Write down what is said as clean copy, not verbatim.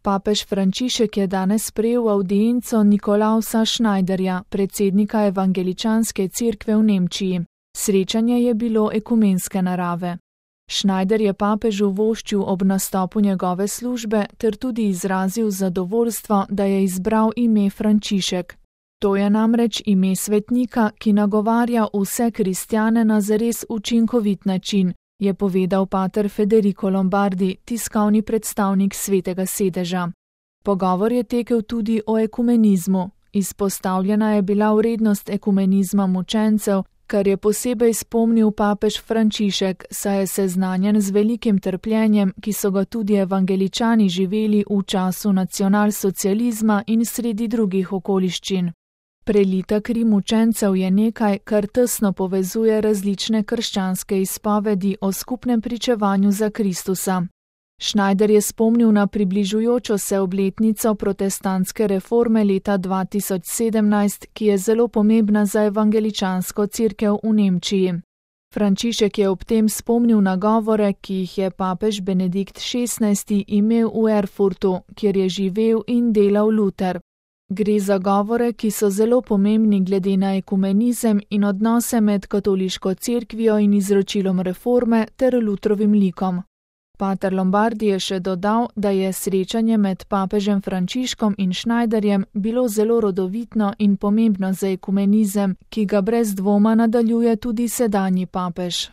Papež Frančišek je danes sprejel avdienco Nikolausa Schneiderja, predsednika Evangeličanske cerkve v Nemčiji. Srečanje je bilo ekumenske narave. Schneider je papežu voščil ob nastopu njegove službe ter tudi izrazil zadovoljstvo, da je izbral ime Frančišek. To je namreč ime svetnika, ki nagovarja vse kristjane na zares učinkovit način, je povedal pater Federico Lombardi, tiskovni predstavnik Svetega sedeža. Pogovor je tekel tudi o ekumenizmu. Izpostavljena je bila vrednost ekumenizma mučencev, kar je posebej spomnil papež Frančišek, saj je seznanjen z velikim trpljenjem, ki so ga tudi evangeličani živeli v času nacionalsocializma in sredi drugih okoliščin. Prelita kri mučencev je nekaj, kar tesno povezuje različne krščanske izpovedi o skupnem pričevanju za Kristusa. Schneider je spomnil na približujočo se obletnico protestantske reforme leta 2017, ki je zelo pomembna za evangeličansko cerkev v Nemčiji. Frančišek je ob tem spomnil na govore, ki jih je papež Benedikt XVI imel v Erfurtu, kjer je živel in delal Luther. Gre za govore, ki so zelo pomembni glede na ekumenizem in odnose med katoliško cerkvijo in izročilom reforme ter Luthrovim likom. Pater Lombardi je še dodal, da je srečanje med papežem Frančiškom in Schneiderjem bilo zelo rodovitno in pomembno za ekumenizem, ki ga brez dvoma nadaljuje tudi sedanji papež.